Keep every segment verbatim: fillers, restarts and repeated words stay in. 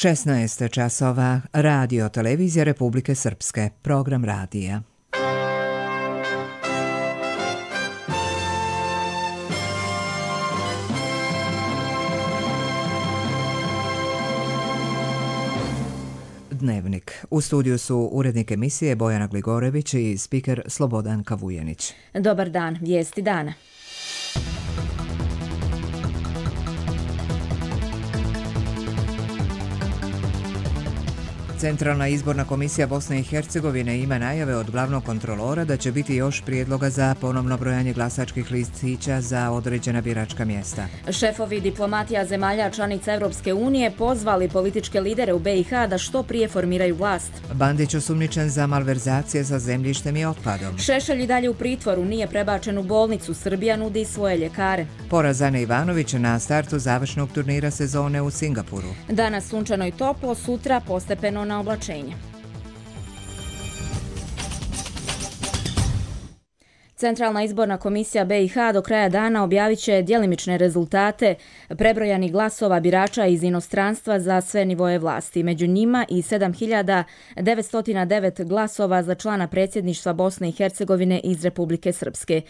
šesnaest časova, Radio Televizija Republike Srpske, program radija. Dnevnik. U studiju su urednik emisije Bojana Gligorević i spiker Slobodan Kavujenić. Dobar dan, vijesti dana. Centralna izborna komisija Bosne i Hercegovine ima najave od glavnog kontrolora da će biti još prijedloga za ponovno brojanje glasačkih listića za određena biračka mjesta. Šefovi diplomatija zemalja članica Europske unije pozvali političke lidere u B i H da što prije formiraju vlast. Bandić osumnjičen za malverzacije sa zemljištem i otpadom. Šešelj i dalje u pritvoru, nije prebačen u bolnicu, Srbija nudi svoje ljekare. Poraz Ane Ivanović na startu završnog turnira sezone u Singapuru. Danas sunčano i toplo, sutra postepeno na oblačenje. Centralna izborna komisija B i H do kraja dana objavit će djelimične rezultate prebrojanih glasova birača iz inostranstva za sve nivoje vlasti. Među njima i sedam hiljada devetsto devet glasova za člana predsjedništva Bosne i Hercegovine iz Republike Srpske.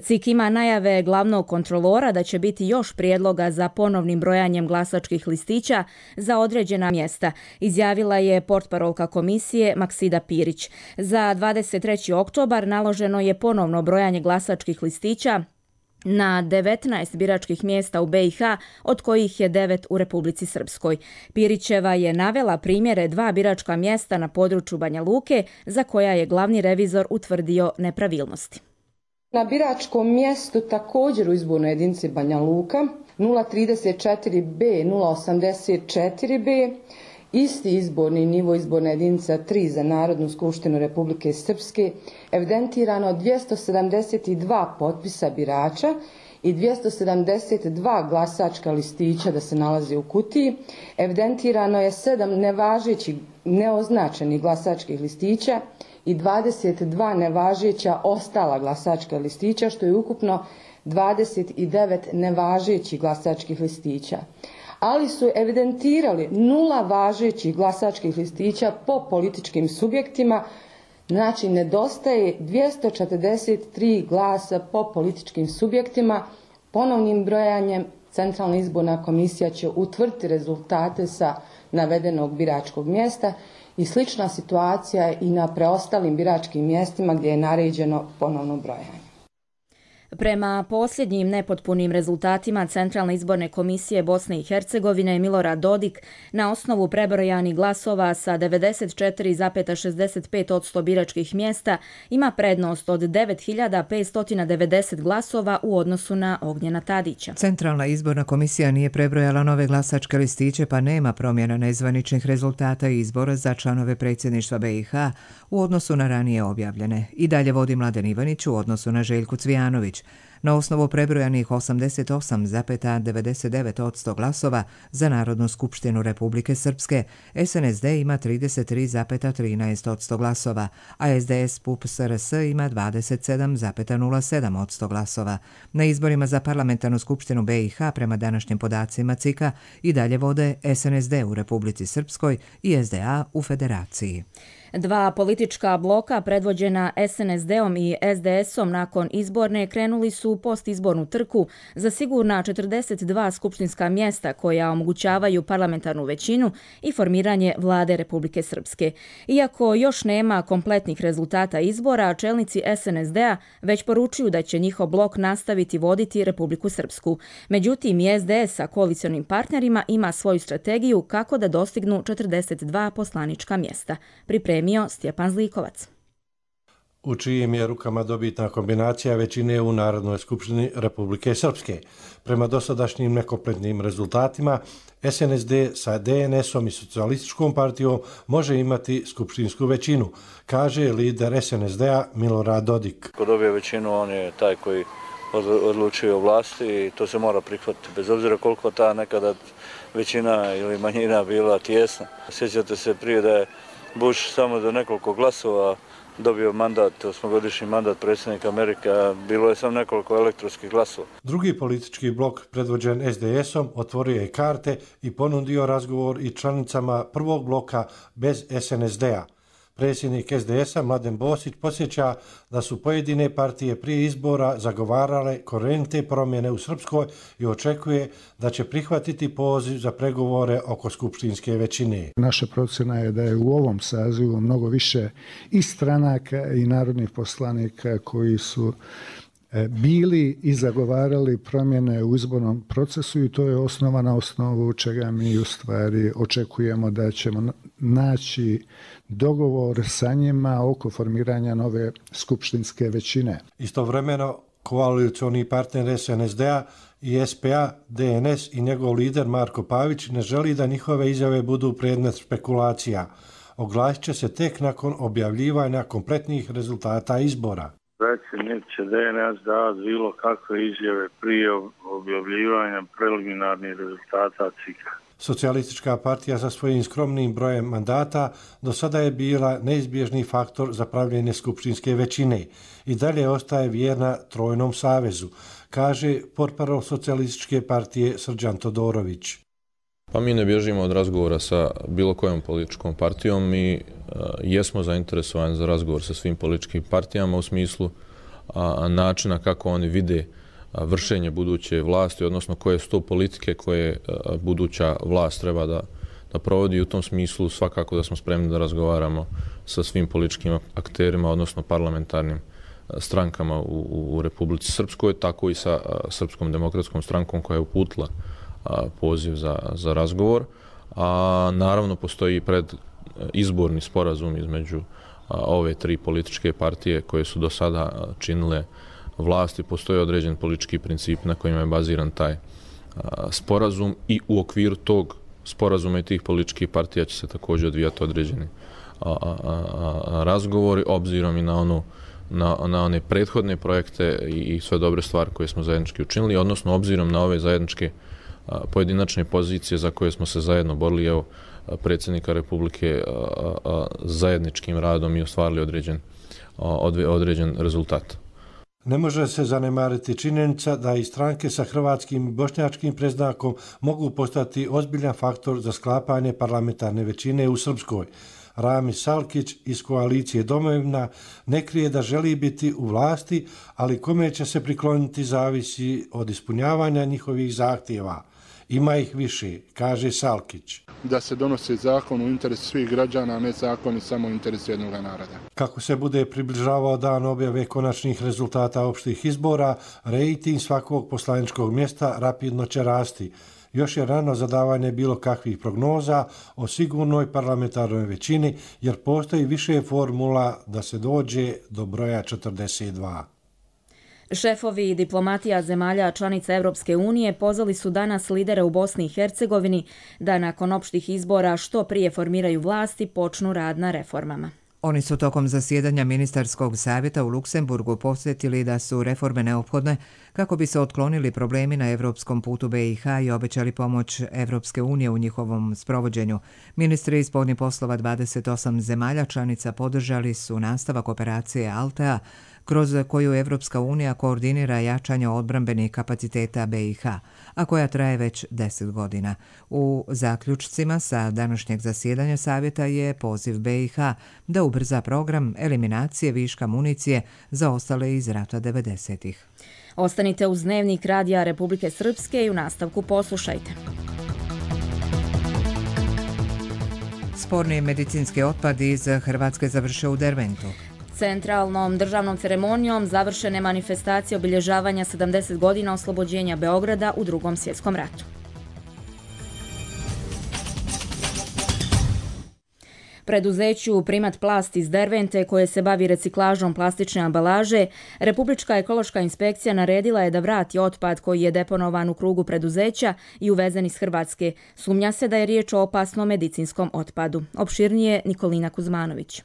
C I K ima najave glavnog kontrolora da će biti još prijedloga za ponovnim brojanjem glasačkih listića za određena mjesta, izjavila je portparolka komisije Maksida Pirić. Za dvadeset treći oktobar naloženo je ponovno brojanje brojanje glasačkih listića na devetnaest biračkih mjesta u B i H, od kojih je devet u Republici Srpskoj. Pirićeva je navela primjere dva biračka mjesta na području Banja Luke, za koja je glavni revizor utvrdio nepravilnosti. Na biračkom mjestu također u izbornoj jedinici Banja Luka nula trideset četiri B, nula osamdeset četiri B, isti izborni nivo izborna jedinica tri za Narodnu skupštinu Republike Srpske, evidentirano dvjesto sedamdeset dva potpisa birača i dvjesto sedamdeset dva glasačka listića da se nalazi u kutiji. Evidentirano je sedam nevažećih neoznačenih glasačkih listića i dvadeset dva nevažeća ostala glasačka listića, što je ukupno dvadeset devet nevažećih glasačkih listića. Ali su evidentirali nula važećih glasačkih listića po političkim subjektima, znači nedostaje dvjesto četrdeset tri glasa po političkim subjektima. Ponovnim brojanjem Centralna izborna komisija će utvrditi rezultate sa navedenog biračkog mjesta i slična situacija je i na preostalim biračkim mjestima gdje je naređeno ponovno brojanje. Prema posljednjim nepotpunim rezultatima Centralne izborne komisije Bosne i Hercegovine, Milorad Dodik na osnovu prebrojanih glasova sa devedeset četiri zarez šezdeset pet posto biračkih mjesta ima prednost od devet hiljada petsto devedeset glasova u odnosu na Ognjena Tadića. Centralna izborna komisija nije prebrojala nove glasačke listiće, pa nema promjena nezvaničnih rezultata izbora za članove predsjedništva B i H u odnosu na ranije objavljene. I dalje vodi Mladen Ivanić u odnosu na Željku Cvijanović. Na osnovu prebrojanih osamdeset osam zarez devedeset devet posto glasova za Narodnu skupštinu Republike Srpske, S N S D ima trideset tri zarez trinaest posto glasova, a S D S P U P S R S ima dvadeset sedam zarez nula sedam posto glasova. Na izborima za parlamentarnu skupštinu B i H prema današnjim podacima C I K-a i dalje vode S N S D u Republici Srpskoj i S D A u Federaciji. Dva politička bloka predvođena S N S D-om i S D S-om nakon izborne krenuli su u postizbornu trku za sigurna četrdeset dva skupštinska mjesta koja omogućavaju parlamentarnu većinu i formiranje vlade Republike Srpske. Iako još nema kompletnih rezultata izbora, čelnici S N S D-a već poručuju da će njihov blok nastaviti voditi Republiku Srpsku. Međutim, i S D S sa koalicionim partnerima ima svoju strategiju kako da dostignu četrdeset dva poslanička mjesta. Pripremio Stjepan Zlikovac. U čijim je rukama dobitna kombinacija većine u Narodnoj skupštini Republike Srpske. Prema dosadašnjim nekompletnim rezultatima, S N S D sa D N S-om i Socijalističkom partijom može imati skupštinsku većinu, kaže lider S N S D-a Milorad Dodik. Ko dobije većinu, on je taj koji odlučuje o vlasti i to se mora prihvatiti, bez obzira koliko ta nekada većina ili manjina bila tijesna. Sjećate se prije da je Bush samo do nekoliko glasova dobio mandat, osmogodišnji mandat predsjednika Amerike, a bilo je samo nekoliko elektronskih glasova. Drugi politički blok, predvođen es de esom, otvorio je karte i ponudio razgovor i članicama prvog bloka bez es en es de-a. Predsjednik es de esa Mladen Bosić podsjeća da su pojedine partije prije izbora zagovarale korenite promjene u Srpskoj i očekuje da će prihvatiti poziv za pregovore oko skupštinske većine. Naša procjena je da je u ovom sazivu mnogo više i stranaka i narodnih poslanika koji su bili i zagovarali promjene u izbornom procesu i to je osnova na osnovu čega mi u stvari očekujemo da ćemo naći dogovor sa njima oko formiranja nove skupštinske većine. Istovremeno, koalicioni partner es en es de-a i es pe a, de en es i njegov lider Marko Pavić ne želi da njihove izjave budu predmet špekulacija. Oglasit će se tek nakon objavljivanja kompletnih rezultata izbora. Predsjednik će de en es davati bilo kakve izjave prije objavljivanja preliminarnih rezultata C I K-a. Socijalistička partija sa svojim skromnim brojem mandata do sada je bila neizbježni faktor za pravljenje skupštinske većine i dalje ostaje vjerna Trojnom savezu, kaže portparol Socijalističke partije Srđan Todorović. Pa mi ne bježimo od razgovora sa bilo kojom političkom partijom. Mi uh, jesmo zainteresovani za razgovor sa svim političkim partijama u smislu uh, načina kako oni vide uh, vršenje buduće vlasti, odnosno koje su to politike koje uh, buduća vlast treba da, da provodi. U tom smislu svakako da smo spremni da razgovaramo sa svim političkim akterima, odnosno parlamentarnim uh, strankama u, u Republici Srpskoj, tako i sa uh, Srpskom demokratskom strankom koja je uputila poziv za, za razgovor. A, naravno, postoji pred izborni sporazum između a, ove tri političke partije koje su do sada činile vlasti. Postoji određen politički princip na kojima je baziran taj a, sporazum i u okviru tog sporazuma i tih političkih partija će se također odvijati određeni a, a, a, razgovori, obzirom i na onu Na, na one prethodne projekte i, i sve dobre stvari koje smo zajednički učinili, odnosno obzirom na ove zajedničke a, pojedinačne pozicije za koje smo se zajedno borili, evo, predsjednika Republike a, a, zajedničkim radom i ostvarili određen, a, određen rezultat. Ne može se zanemariti činjenica da i stranke sa hrvatskim i bošnjačkim predznakom mogu postati ozbiljan faktor za sklapanje parlamentarne većine u Srpskoj. Rami Salkić iz koalicije Domovina ne krije da želi biti u vlasti, ali kome će se prikloniti zavisi od ispunjavanja njihovih zahtjeva. Ima ih više, kaže Salkić. Da se donosi zakon u interesu svih građana, a ne zakoni samo u interesu jednog naroda. Kako se bude približavao dan objave konačnih rezultata opštih izbora, rejting svakog poslaničkog mjesta rapidno će rasti. Još je rano za davanje bilo kakvih prognoza o sigurnoj parlamentarnoj većini, jer postoji više formula da se dođe do broja četrdeset dva. Šefovi diplomatija zemalja članica Evropske unije pozvali su danas lidere u Bosni i Hercegovini da nakon opštih izbora što prije formiraju vlast i počnu rad na reformama. Oni su tokom zasjedanja ministarskog savjeta u Luksemburgu posjetili da su reforme neophodne kako bi se otklonili problemi na evropskom putu be i ha i obećali pomoć Evropske unije u njihovom sprovođenju. Ministri spoljnih poslova dvadeset osam zemalja članica podržali su nastavak operacije Altea, kroz koju Evropska unija koordinira jačanje odbrambenih kapaciteta be i ha, a koja traje već deset godina. U zaključcima sa današnjeg zasjedanja savjeta je poziv be i ha da ubrza program eliminacije viška municije za ostale iz rata devedesetih. Ostanite uz Dnevnik Radija Republike Srpske i u nastavku poslušajte. Sporni medicinski otpad iz Hrvatske završio u Derventu. Centralnom državnom ceremonijom završene manifestacije obilježavanja sedamdeset godina oslobođenja Beograda u Drugom svjetskom ratu. Preduzeću Primat Plast iz Dervente, koje se bavi reciklažom plastične ambalaže, Republička ekološka inspekcija naredila je da vrati otpad koji je deponovan u krugu preduzeća i uvezen iz Hrvatske. Sumnja se da je riječ o opasnom medicinskom otpadu. Opširnije Nikolina Kuzmanović.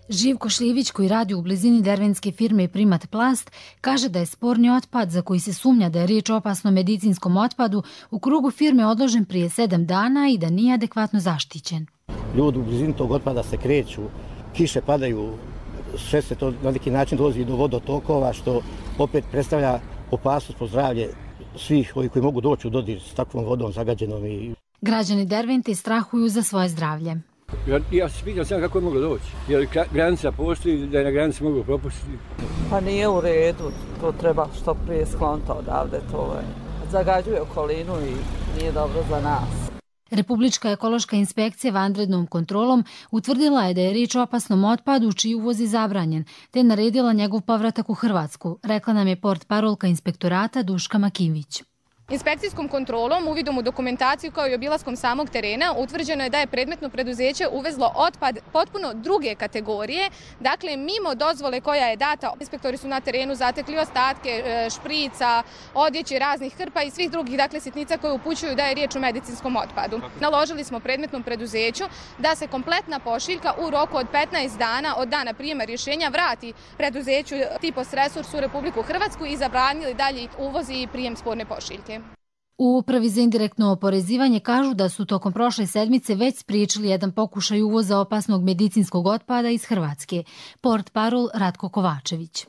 Živko Šljivić, koji radi u blizini dervenske firme Primat Plast, kaže da je sporni otpad, za koji se sumnja da je riječ o opasnom medicinskom otpadu, u krugu firme odložen prije sedam dana i da nije adekvatno zaštićen. Ljudi u blizini tog otpada se kreću, kiše padaju, sve se to na neki način dolazi do vodotokova, što opet predstavlja opasnost po zdravlje svih ovih koji mogu doći u dodir s takvom vodom zagađenom. I... Građani Dervente strahuju za svoje zdravlje. Ja, ja se pitam sam kako je moglo doći. Je li granica postoji da je na granici mogu propustiti? Pa nije u redu, to treba što prije skloniti odavde. To je. Zagađuje okolinu i nije dobro za nas. Republička ekološka inspekcija vanrednom kontrolom utvrdila je da je riječ o opasnom otpadu čiji uvoz je zabranjen, te naredila njegov povratak u Hrvatsku, rekla nam je portparolka inspektorata Duška Makivić. Inspekcijskom kontrolom, uvidom u dokumentaciju kao i obilaskom samog terena, utvrđeno je da je predmetno preduzeće uvezlo otpad potpuno druge kategorije, dakle mimo dozvole koja je data. Inspektori su na terenu zatekli ostatke šprica, odjeće, raznih hrpa i svih drugih dakle sitnica koje upućuju da je riječ o medicinskom otpadu. Naložili smo predmetnom preduzeću da se kompletna pošiljka u roku od petnaest dana od dana prijema rješenja vrati preduzeću Tipos Resurs u Republiku Hrvatsku i zabranili dalje uvoz i prijem sporne pošiljke. U Upravi za indirektno oporezivanje kažu da su tokom prošle sedmice već spriječili jedan pokušaj uvoza opasnog medicinskog otpada iz Hrvatske. Portparol Ratko Kovačević.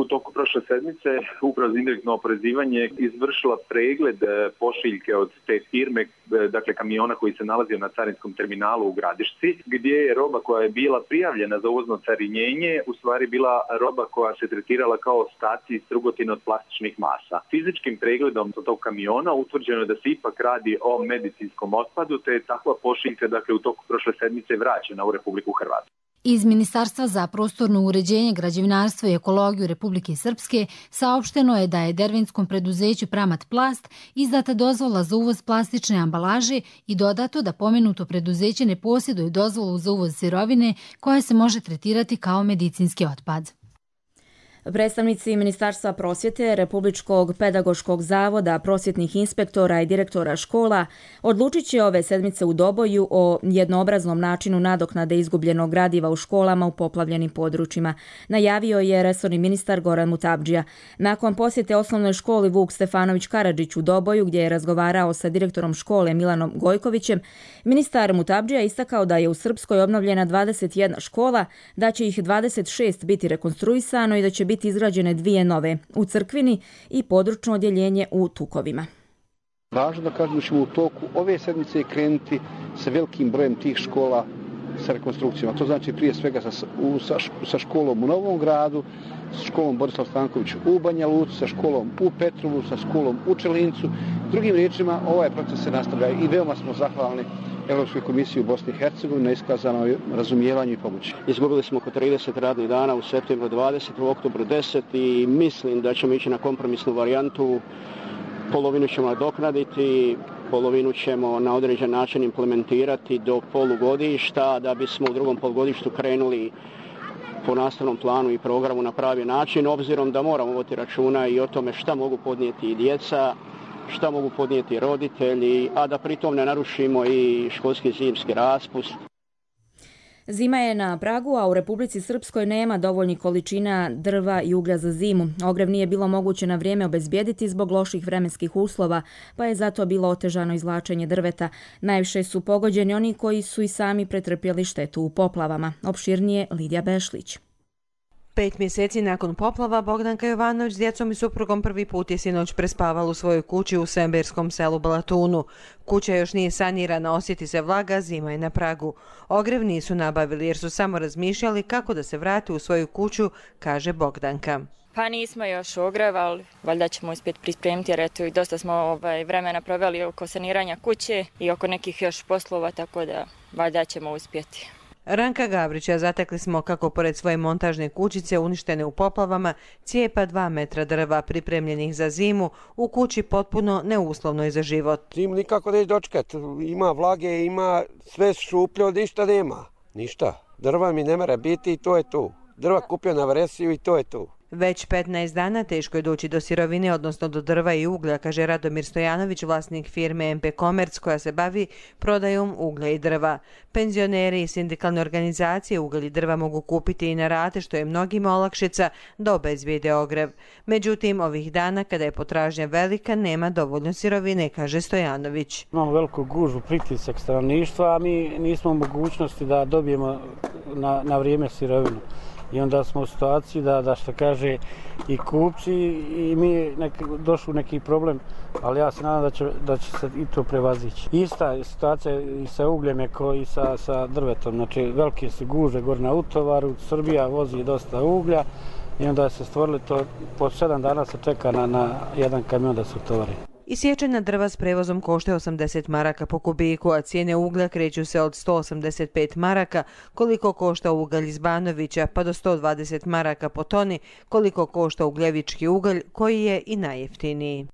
U toku prošle sedmice Uprava za indirektno oporezivanje izvršila pregled pošiljke od te firme, dakle kamiona koji se nalazio na carinskom terminalu u Gradišci, gdje je roba koja je bila prijavljena za uvozno carinjenje u stvari bila roba koja se tretirala kao ostaci iz strugotina od plastičnih masa. Fizičkim pregledom tog kamiona utvrđeno je da se ipak radi o medicinskom otpadu, te je takva pošiljka dakle u toku prošle sedmice vraćena u Republiku Hrvatsku. Iz Ministarstva za prostorno uređenje, građevinarstvo i ekologiju Republike Srpske saopšteno je da je dervenskom preduzeću Pramat Plast izdata dozvola za uvoz plastične ambalaže i dodato da pomenuto preduzeće ne posjeduje dozvolu za uvoz sirovine koja se može tretirati kao medicinski otpad. Predstavnici Ministarstva prosvjete, Republičkog pedagoškog zavoda, prosvjetnih inspektora i direktora škola odlučit će ove sedmice u Doboju o jednoobraznom načinu nadoknade izgubljenog gradiva u školama u poplavljenim područjima. Najavio je resorni ministar Goran Mutabdžija. Nakon posjete osnovnoj školi Vuk Stefanović Karadžić u Doboju, gdje je razgovarao sa direktorom škole Milanom Gojkovićem, ministar Mutabdžija istakao da je u Srpskoj obnovljena dvadeset jedna škola, da će ih dvadeset šest biti rekonstruisano i da će biti biti izgrađene dvije nove u Crkvini i područno odjeljenje u Tukovima. Važno da kažem da ćemo u toku ove sedmice krenuti sa velikim brojem tih škola sa rekonstrukcijama. To znači prije svega sa, u, sa, sa školom u Novom Gradu, sa školom Borislav Stanković u Banja Luci, sa školom u Petrovu, sa školom u Čelincu. Drugim riječima, ovaj proces se nastavlja i veoma smo zahvalni Europskoj komisiji u Bosni i Hercegovini na iskazanoj razumijevanju i pomoći. Izgubili smo oko trideset radnih dana, u septembru dvadeset, u oktobru deset i mislim da ćemo ići na kompromisnu varijantu. Polovinu ćemo nadoknaditi, polovinu ćemo na određen način implementirati do polugodišta da bismo u drugom polugodištu krenuli po nastavnom planu i programu na pravi način, obzirom da moramo voditi računa i o tome šta mogu podnijeti i djeca, šta mogu podnijeti roditelji, a da pritom ne narušimo i školski zimski raspust. Zima je na pragu, a u Republici Srpskoj nema dovoljnih količina drva i uglja za zimu. Ogrev nije bilo moguće na vrijeme obezbijediti zbog loših vremenskih uslova, pa je zato bilo otežano izvlačenje drveta. Najviše su pogođeni oni koji su i sami pretrpjeli štetu u poplavama. Opširnije Lidija Bešlić. Pet mjeseci nakon poplava Bogdanka Jovanović s djecom i suprugom prvi put je sinoć prespavala u svojoj kući u Semberskom selu Balatunu. Kuća još nije sanirana, osjeti se vlaga, zima je na pragu. Ogrev nisu nabavili jer su samo razmišljali kako da se vrate u svoju kuću, kaže Bogdanka. Pa nismo još ogrev, ali valjda ćemo uspjeti pripremiti jer eto i dosta smo ovaj, vremena proveli oko saniranja kuće i oko nekih još poslova, tako da valjda ćemo uspjeti. Ranka Gavrića zatekli smo kako pored svoje montažne kućice uništene u poplavama cijepa dva metra drva pripremljenih za zimu u kući potpuno neuslovnoj za život. Zimu nikako neće dočekati, ima vlage, ima sve šuplje, ništa nema, ništa. Drva mi ne mora biti i to je to. Drva kupio na Vresiju i to je to. Već petnaest dana teško je doći do sirovine, odnosno do drva i uglja, kaže Radomir Stojanović, vlasnik firme M P Komerc koja se bavi prodajom uglja i drva. Penzioneri i sindikalne organizacije ugalj i drva mogu kupiti i na rate, što je mnogima olakšica da obezbijede ogrev. Međutim, ovih dana, kada je potražnja velika, nema dovoljno sirovine, kaže Stojanović. Imamo veliku gužvu, pritisak stanovništva, a mi nismo u mogućnosti da dobijemo na, na vrijeme sirovinu. I onda smo u situaciji da, da što kaže i kupci i mi nek, došli u neki problem, ali ja se nadam da će, da će se i to prevazići. Ista je situacija i sa ugljem je kao i sa, sa drvetom, znači velike su gužve gore na utovaru, Srbija vozi dosta uglja i onda se stvorili to, po sedam dana se čeka na, na jedan kamion da se utovari. Isječena drva s prevozom košta osamdeset maraka po kubiku, a cijene uglja kreću se od sto osamdeset pet maraka, koliko košta ugalj iz Banovića, pa do sto dvadeset maraka po toni, koliko košta ugljevički ugalj, koji je i najjeftiniji.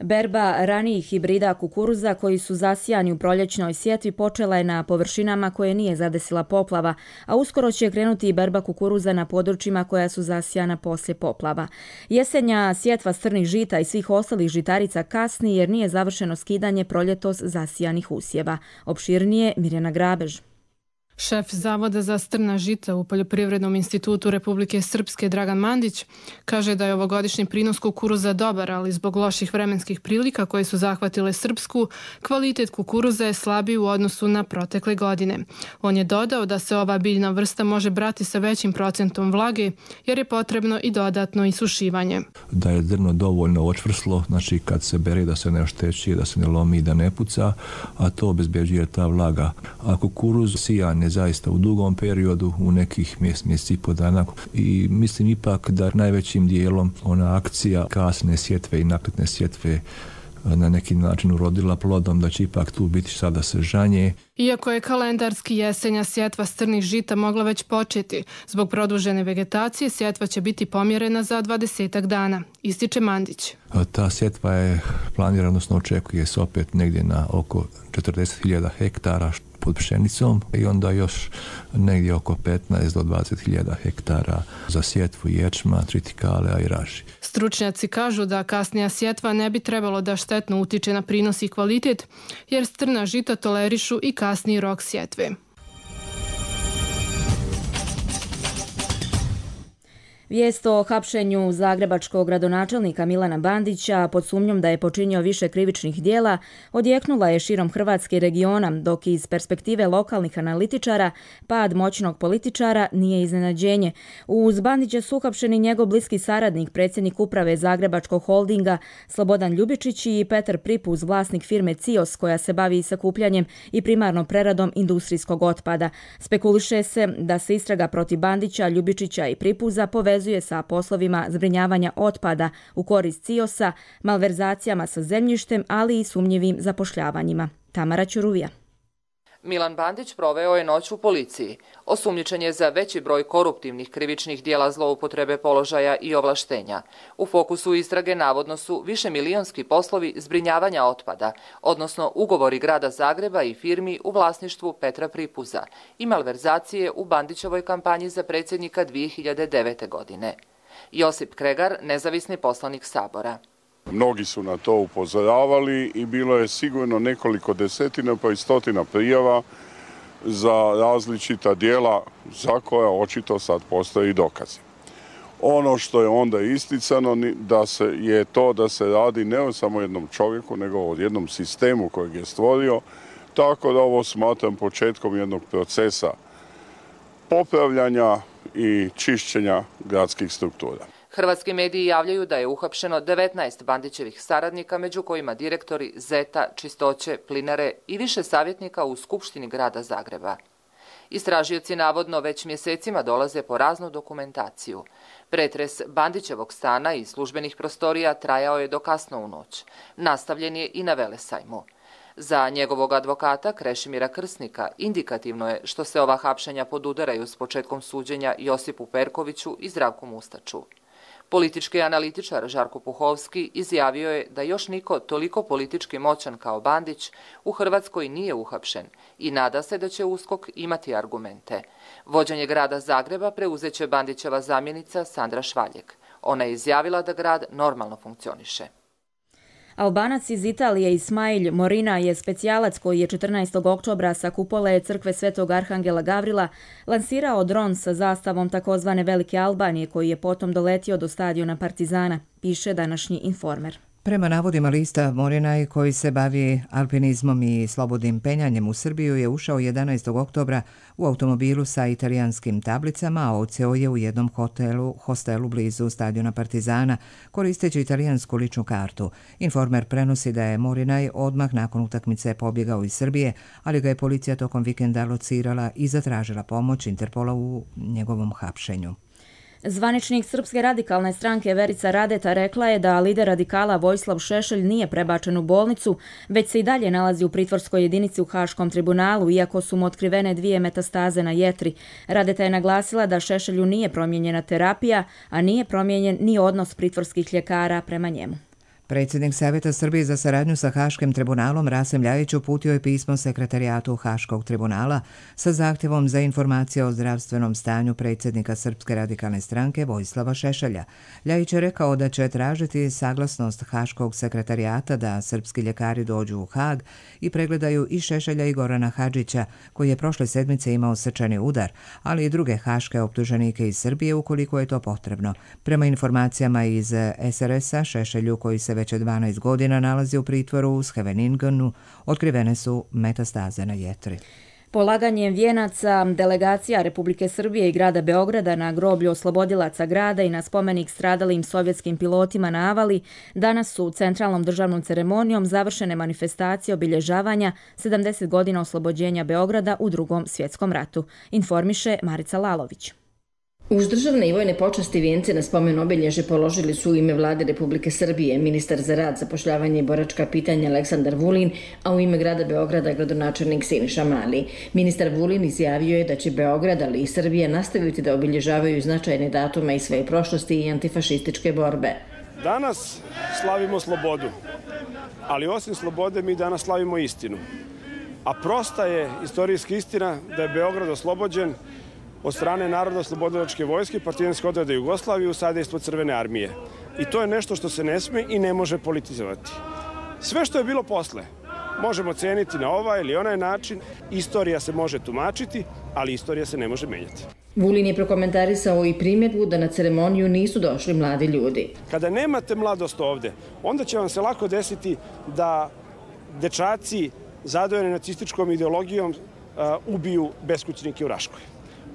Berba ranijih hibrida kukuruza koji su zasijani u proljećnoj sjetvi počela je na površinama koje nije zadesila poplava, a uskoro će krenuti i berba kukuruza na područjima koja su zasijana poslije poplava. Jesenja sjetva strnih žita i svih ostalih žitarica kasni jer nije završeno skidanje proljetos zasijanih usjeva. Opširnije Mirjana Grabež. Šef Zavoda za strna žita u Poljoprivrednom institutu Republike Srpske Dragan Mandić kaže da je ovogodišnji prinos kukuruza dobar, ali zbog loših vremenskih prilika koje su zahvatile Srpsku, kvalitet kukuruza je slabiji u odnosu na protekle godine. On je dodao da se ova biljna vrsta može brati sa većim procentom vlage jer je potrebno i dodatno isušivanje. Da je zrno dovoljno očvrslo, znači kad se bere da se ne ošteći, da se ne lomi, da ne puca, a to obezbeđuje ta vlaga. A kukuruz sijan zaista u dugom periodu, u nekih mjesec, mjesec i po dana. I mislim ipak da najvećim dijelom ona akcija kasne sjetve i nakletne sjetve na neki način urodila plodom, da će ipak tu biti sada sežanje. Iako je kalendarski jesenja sjetva strnih žita mogla već početi, zbog produžene vegetacije sjetva će biti pomjerena za dvadesetak dana, ističe Mandić. Ta sjetva je planirana, odnosno očekuje se opet negdje na oko četrdeset hiljada hektara pod pšenicom i onda još negdje oko petnaest do dvadeset hiljada hektara za sjetvu ječma, tritikale, a i raži. Stručnjaci kažu da kasnija sjetva ne bi trebalo da štetno utiče na prinos i kvalitet, jer strna žita tolerišu i kasniji rok sjetve. Vijest o hapšenju zagrebačkog gradonačelnika Milana Bandića pod sumnjom da je počinio više krivičnih dijela odjeknula je širom Hrvatske i regiona, dok iz perspektive lokalnih analitičara pad moćnog političara nije iznenađenje. Uz Bandića su uhapšeni njegov bliski saradnik, predsjednik uprave Zagrebačkog holdinga Slobodan Ljubičić i Petar Pripuz, vlasnik firme Cios koja se bavi sakupljanjem i primarno preradom industrijskog otpada. Spekuliše se da se istraga protiv Bandića, Ljubičića i Pripuza povezuje sa poslovima zbrinjavanja otpada u korist Ciosa, malverzacijama sa zemljištem, ali i sumnjivim zapošljavanjima. Tamara Ćuruvija. Milan Bandić proveo je noć u policiji. Osumnjičen je za veći broj koruptivnih krivičnih dijela zloupotrebe položaja i ovlaštenja. U fokusu istrage navodno su višemilionski poslovi zbrinjavanja otpada, odnosno ugovori grada Zagreba i firmi u vlasništvu Petra Pripuza i malverzacije u Bandićevoj kampanji za predsjednika dvije hiljade devete. godine. Josip Kregar, nezavisni poslanik Sabora. Mnogi su na to upozoravali i bilo je sigurno nekoliko desetina pa i stotina prijava za različita djela za koja očito sad postoji dokazi. Ono što je onda isticano da se, je to da se radi ne o samo jednom čovjeku, nego o jednom sistemu kojeg je stvorio, tako da ovo smatram početkom jednog procesa popravljanja i čišćenja gradskih struktura. Hrvatski mediji javljaju da je uhapšeno devetnaest Bandićevih saradnika, među kojima direktori Zeta, Čistoće, Plinare i više savjetnika u Skupštini grada Zagreba. Istražioci navodno već mjesecima dolaze po raznu dokumentaciju. Pretres Bandićevog stana i službenih prostorija trajao je do kasno u noć. Nastavljen je i na Velesajmu. Za njegovog advokata Krešimira Krsnika indikativno je što se ova hapšenja podudaraju s početkom suđenja Josipu Perkoviću i Zdravku Mustaču. Politički analitičar Žarko Puhovski izjavio je da još niko toliko politički moćan kao Bandić u Hrvatskoj nije uhapšen i nada se da će USKOK imati argumente. Vođenje grada Zagreba preuzeće Bandićeva zamjenica Sandra Švaljek. Ona je izjavila da grad normalno funkcioniše. Albanac iz Italije Ismail Morina je specijalac koji je četrnaestog oktobra sa kupole crkve Svetog Arhangela Gavrila lansirao dron sa zastavom takozvane Velike Albanije koji je potom doletio do stadiona Partizana, piše današnji Informer. Prema navodima lista Morinaj, koji se bavi alpinizmom i slobodnim penjanjem u Srbiju, je ušao jedanaestog oktobra u automobilu sa italijanskim tablicama, a odseo je u jednom hotelu, hostelu blizu stadiona Partizana, koristeći italijansku ličnu kartu. Informer prenosi da je Morinaj odmah nakon utakmice pobjegao iz Srbije, ali ga je policija tokom vikenda locirala i zatražila pomoć Interpola u njegovom hapšenju. Zvaničnik Srpske radikalne stranke Verica Radeta rekla je da lider radikala Vojislav Šešelj nije prebačen u bolnicu, već se i dalje nalazi u pritvorskoj jedinici u Haškom tribunalu, iako su mu otkrivene dvije metastaze na jetri. Radeta je naglasila da Šešelju nije promijenjena terapija, a nije promijenjen ni odnos pritvorskih ljekara prema njemu. Predsjednik Savjeta Srbije za saradnju sa Haškim tribunalom Rasim Ljajić uputio je pismo sekretarijatu Haškog tribunala sa zahtjevom za informacije o zdravstvenom stanju predsjednika Srpske radikalne stranke Vojislava Šešelja. Ljajić je rekao da će tražiti saglasnost Haškog sekretarijata da srpski ljekari dođu u Hag i pregledaju i Šešelja i Gorana Hadžića, koji je prošle sedmice imao srčani udar, ali i druge haške optuženike iz Srbije ukoliko je to potrebno. Prema informacijama iz S R S-a, Šešelju, koji se već dvanaest godina nalazi u pritvoru u Scheveningenu, otkrivene su metastaze na jetri. Polaganjem vijenaca delegacija Republike Srbije i grada Beograda na groblju oslobodilaca grada i na spomenik stradalim sovjetskim pilotima na Avali, danas su centralnom državnom ceremonijom završene manifestacije obilježavanja sedamdeset godina oslobođenja Beograda u Drugom svjetskom ratu, informiše Marica Lalović. Uz državne i vojne počasti vijence na spomen obilježe položili su u ime Vlade Republike Srbije ministar za rad, zapošljavanje i boračka pitanja Aleksandar Vulin, a u ime grada Beograda gradonačelnik Siniša Mali. Ministar Vulin izjavio je da će Beograd, ali i Srbija nastaviti da obilježavaju značajne datume iz svoje prošlosti i antifašističke borbe. Danas slavimo slobodu, ali osim slobode mi danas slavimo istinu. A prosta je istorijska istina da je Beograd oslobođen od strane Narodno-oslobodilačke vojske, partijanske odrede Jugoslavije u sadejstvo Crvene armije. I to je nešto što se ne sme i ne može politizovati. Sve što je bilo posle možemo ceniti na ovaj ili onaj način. Istorija se može tumačiti, ali istorija se ne može menjati. Vulin je prokomentarisao i primjedbu da na ceremoniju nisu došli mladi ljudi. Kada nemate mladost ovde, onda će vam se lako desiti da dečaci zadojeni nacističkom ideologijom ubiju beskućnike u Raškoj.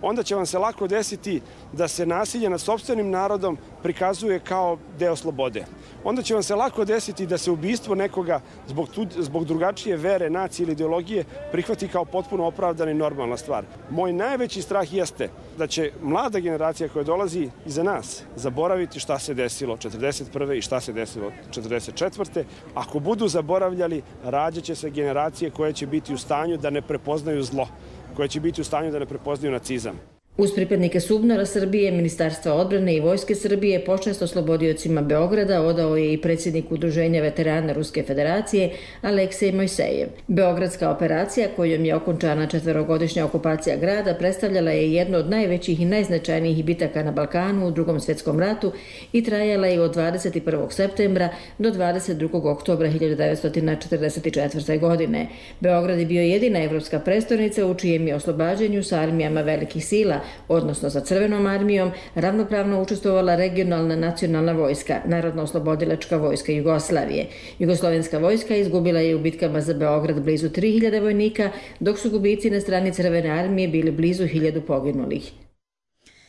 Onda će vam se lako desiti da se nasilje nad sopstvenim narodom prikazuje kao deo slobode. Onda će vam se lako desiti da se ubistvo nekoga zbog, tu, zbog drugačije vere, nacije ili ideologije prihvati kao potpuno opravdana i normalna stvar. Moj najveći strah jeste da će mlada generacija koja dolazi iza nas zaboraviti šta se desilo četrdeset prve i šta se desilo četrdeset četvrte Ako budu zaboravljali, rađaće se generacije koje će biti u stanju da ne prepoznaju zlo, koje će biti u stanju da ne prepoznaju nacizam. Uz pripadnike SUBNOR-a Srbije, Ministarstva odbrane i Vojske Srbije, počast oslobodiocima Beograda odao je i predsjednik Udruženja veterana Ruske federacije Aleksej Mojsejev. Beogradska operacija, kojom je okončana četverogodišnja okupacija grada, predstavljala je jednu od najvećih i najznačajnijih bitaka na Balkanu u Drugom svjetskom ratu i trajala je od dvadeset prvog septembra do dvadeset drugog oktobra hiljadu devetsto četrdeset četvrte. godine. Beograd je bio jedina evropska prestolnica u čijem je oslobađanju sa armijama velikih sila, odnosno sa Crvenom armijom, ravnopravno učestvovala regionalna nacionalna vojska, Narodno-oslobodilačka vojska Jugoslavije. Jugoslovenska vojska izgubila je u bitkama za Beograd blizu tri hiljade vojnika, dok su gubici na strani Crvene armije bili blizu hiljadu poginulih.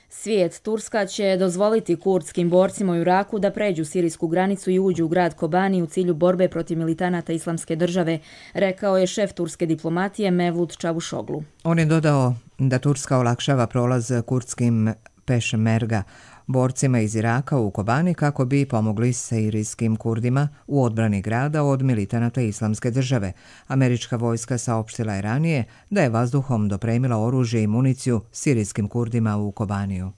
Svijet, Turska će dozvoliti kurdskim borcima u Iraku da pređu sirijsku granicu i uđu u grad Kobani u cilju borbe protiv militanata Islamske države, rekao je šef turske diplomatije Mevlut Čavuşoglu. On je dodao da Turska olakšava prolaz kurdskim pešmerga borcima iz Iraka u Kobani kako bi pomogli sirijskim Kurdima u odbrani grada od militanata Islamske države. Američka vojska saopštila je ranije da je vazduhom dopremila oružje i municiju sirijskim Kurdima u Kobaniju.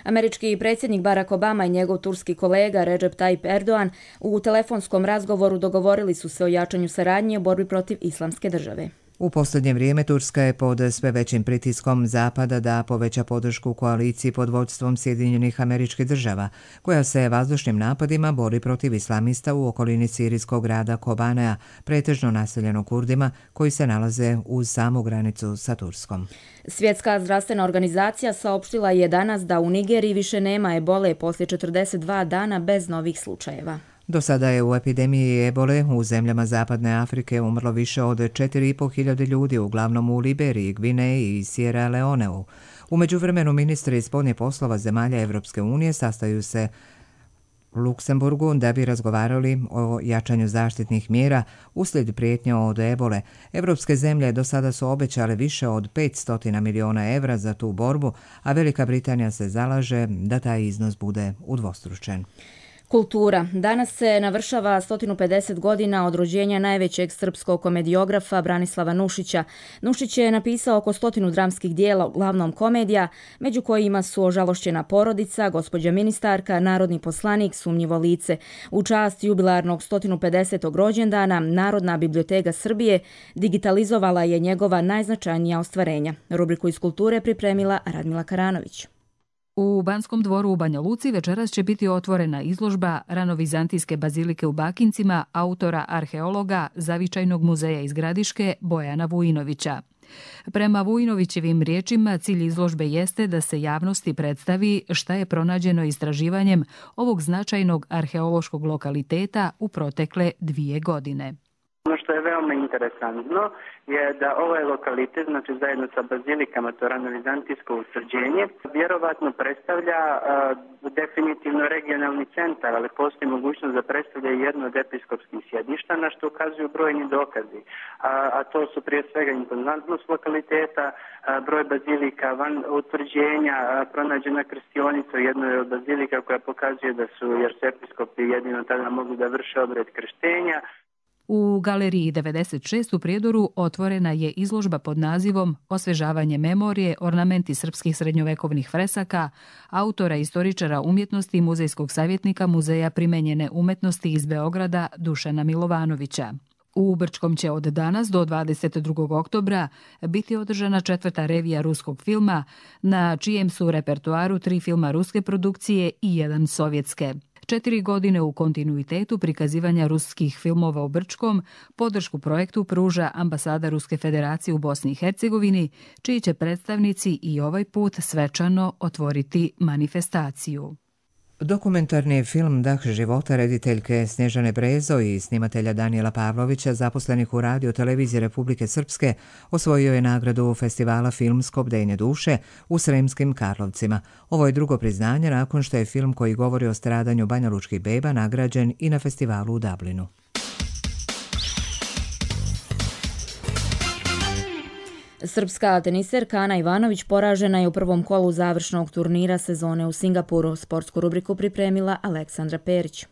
Američki predsjednik Barack Obama i njegov turski kolega Recep Tayyip Erdogan u telefonskom razgovoru dogovorili su se o jačanju saradnje u borbi protiv Islamske države. U posljednje vrijeme Turska je pod sve većim pritiskom Zapada da poveća podršku koaliciji pod vođstvom Sjedinjenih Američkih Država, koja se vazdušnim napadima bori protiv islamista u okolini sirijskog grada Kobanea, pretežno naseljeno Kurdima koji se nalaze uz samu granicu sa Turskom. Svjetska zdravstvena organizacija saopštila je danas da u Nigeriji više nema ebole poslije četrdeset dva dana bez novih slučajeva. Do sada je u epidemiji ebole u zemljama Zapadne Afrike umrlo više od četiri i po hiljade ljudi, uglavnom u Liberiji, Gvineji i Sierra Leoneu. U međuvremenu ministri spoljnih poslova zemalja Evropske unije sastaju se u Luksemburgu da bi razgovarali o jačanju zaštitnih mjera uslijed prijetnja od ebole. Evropske zemlje do sada su obećale više od petsto miliona evra za tu borbu, a Velika Britanija se zalaže da taj iznos bude udvostručen. Kultura. Danas se navršava sto pedeset godina od rođenja najvećeg srpskog komediografa Branislava Nušića. Nušić je napisao oko stotinu dramskih dijela, uglavnom komedija, među kojima su Ožalošćena porodica, Gospođa ministarka, Narodni poslanik, Sumnjivo lice. U čast jubilarnog sto pedesetog rođendana Narodna biblioteka Srbije digitalizovala je njegova najznačajnija ostvarenja. Rubriku iz kulture pripremila Radmila Karanović. U Banskom dvoru u Banja Luci večeras će biti otvorena izložba Ranovizantijske bazilike u Bakincima autora arheologa Zavičajnog muzeja iz Gradiške Bojana Vujinovića. Prema Vujinovićevim riječima, cilj izložbe jeste da se javnosti predstavi šta je pronađeno istraživanjem ovog značajnog arheološkog lokaliteta u protekle dvije godine. Ono što je veoma interesantno je da ovaj lokalitet, znači zajedno sa bazilikama, to ranovizantijsko utvrđenje, vjerovatno predstavlja uh, definitivno regionalni centar, ali postoji mogućnost da predstavlja jedno od episkopskih sjedišta, na što ukazuju brojni dokazi. A, a to su prije svega impozantnost lokaliteta, a, broj bazilika van utvrđenja, a, pronađena krstionica u jednoj od bazilika koja pokazuje da su jer su episkopi jedino tada mogli da vrše obred krštenja. U Galeriji devedeset šest u Prijedoru otvorena je izložba pod nazivom Osvežavanje memorije, ornamenti srpskih srednjovekovnih fresaka, autora istoričara umjetnosti i muzejskog savjetnika Muzeja primenjene umetnosti iz Beograda Dušana Milovanovića. U Brčkom će od danas do dvadeset drugog oktobra biti održana četvrta revija ruskog filma, na čijem su repertoaru tri filma ruske produkcije i jedan sovjetske. Četiri godine u kontinuitetu prikazivanja ruskih filmova u Brčkom podršku projektu pruža ambasada Ruske federacije u Bosni i Hercegovini, čiji će predstavnici i ovaj put svečano otvoriti manifestaciju. Dokumentarni film Dah života rediteljke Snježane Brezo i snimatelja Danijela Pavlovića, zaposlenih u Radio televiziji Republike Srpske, osvojio je nagradu festivala Filmsko bdenje duše u Sremskim Karlovcima. Ovo je drugo priznanje nakon što je film koji govori o stradanju banjalučkih beba nagrađen i na festivalu u Dublinu. Srpska teniserka Ana Ivanović poražena je u prvom kolu završnog turnira sezone u Singapuru. Sportsku rubriku pripremila Aleksandra Perić.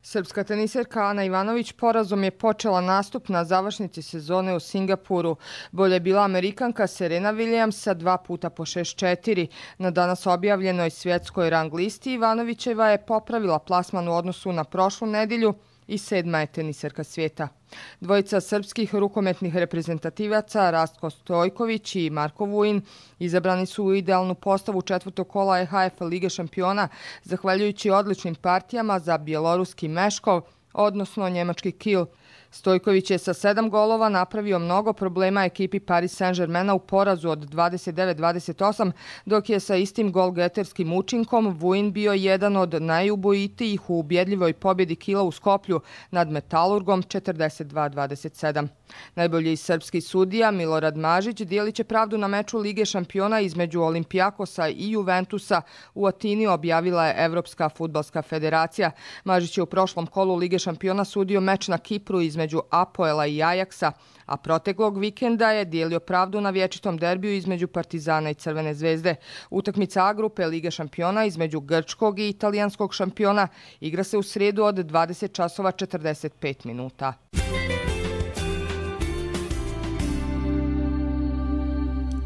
Srpska teniserka Ana Ivanović porazom je počela nastup na završnici sezone u Singapuru. Bolje je bila Amerikanka Serena Williams sa dva puta po šest četiri. Na danas objavljenoj svjetskoj rang listi Ivanovićeva je popravila plasman u odnosu na prošlu nedjelju i sedma je teniserka svijeta. Dvojica srpskih rukometnih reprezentativaca Rastko Stojković i Marko Vujin izabrani su u idealnu postavu četvrtog kola E H F Lige šampiona zahvaljujući odličnim partijama za bjeloruski Meškov, odnosno njemački Kiel. Stojković je sa sedam golova napravio mnogo problema ekipi Paris Saint-Germaina u porazu od dvadeset devet dvadeset osam, dok je sa istim golgeterskim učinkom Vujin bio jedan od najubojitijih u ubjedljivoj pobjedi Kiela u Skoplju nad Metalurgom četrdeset dva dvadeset sedam. Najbolji srpski sudija Milorad Mažić dijelit će pravdu na meču Lige šampiona između Olimpijakosa i Juventusa u Atini, objavila je Evropska fudbalska federacija. Mažić je u prošlom kolu Lige šampiona sudio meč na Kipru između Apoela i Ajaksa, a proteklog vikenda je dijelio pravdu na vječitom derbiju između Partizana i Crvene zvezde. Utakmica A grupe Lige šampiona između grčkog i italijanskog šampiona igra se u srijedu od dvadeset časova četrdeset pet minuta.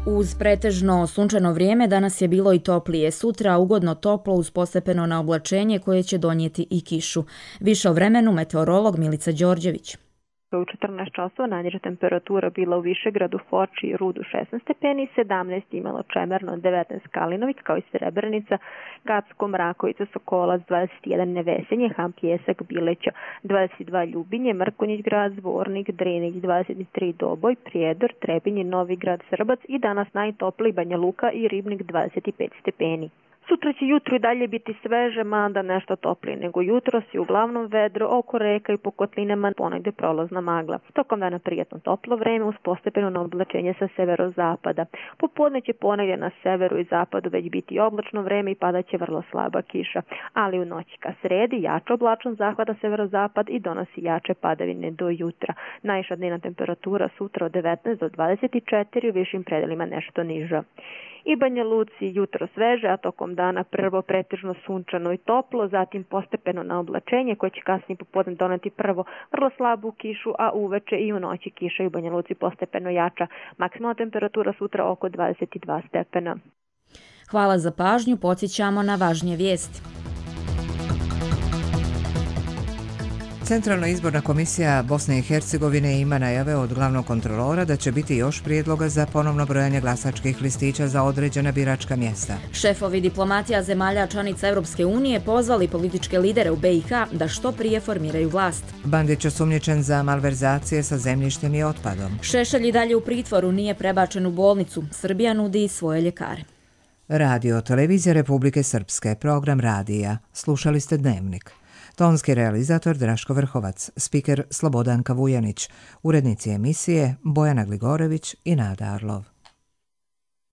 Uz pretežno sunčano vrijeme danas je bilo i toplije. Sutra ugodno toplo uz postepeno na oblačenje koje će donijeti i kišu. Više o vremenu meteorolog Milica Đorđević. U četrnaest časova najniža temperatura bila u Višegradu, Foči i Rudu šesnaest stepeni, sedamnaest imalo Čemerno, devetnaest Kalinović kao i Srebrenica, Kacko, Mrakovica, Sokolac, dvadeset jedan Nevesenje, Ham, Pjesak, Bileća, dvadeset dva Ljubinje, Mrkonjić grad, Zvornik, Drenić, dvadeset tri Doboj, Prijedor, Trebinje, Novi grad, Srbac i danas najtopliji Banja Luka i Ribnik dvadeset pet stepeni. Sutra će jutro i dalje biti sveže, mada nešto toplije nego jutros i uglavnom vedro, oko reka i po kotlinama ponegde prolazna magla. Tokom dana prijatno toplo vreme uz postepeno oblačenje sa severozapada. Popodne će ponegde na severu i zapadu već biti oblačno vreme i padaće vrlo slaba kiša, ali u noći ka sredi jače oblačan zahvata severozapad i donosi jače padavine do jutra. Najviša dnevna temperatura sutra od devetnaest do dvadeset četiri, u višim predelima nešto niža. I Banja Luci jutro sveže, a tokom dana prvo pretežno sunčano i toplo, zatim postepeno na oblačenje koje će kasnije popodne doneti prvo vrlo slabu kišu, a uveče i u noći kiša i u Banja Luci postepeno jača. Maksimalna temperatura sutra oko dvadeset dva stepena. Hvala za pažnju, podsjećamo na važnije vijesti. Centralna izborna komisija Bosne i Hercegovine ima najave od glavnog kontrolora da će biti još prijedloga za ponovno brojanje glasačkih listića za određena biračka mjesta. Šefovi diplomatija zemalja članica Europske unije pozvali političke lidere u B i H da što prije formiraju vlast. Bandić osumnjičen za malverzacije sa zemljištem i otpadom. Šešelj i dalje u pritvoru, nije prebačen u bolnicu. Srbija nudi svoje ljekare. Radio Televizija Republike Srpske, program radija. Slušali ste Dnevnik. Tonski realizator Draško Vrhovac, spiker Slobodanka Vujanić, urednici emisije Bojana Gligorević i Nada Arlov.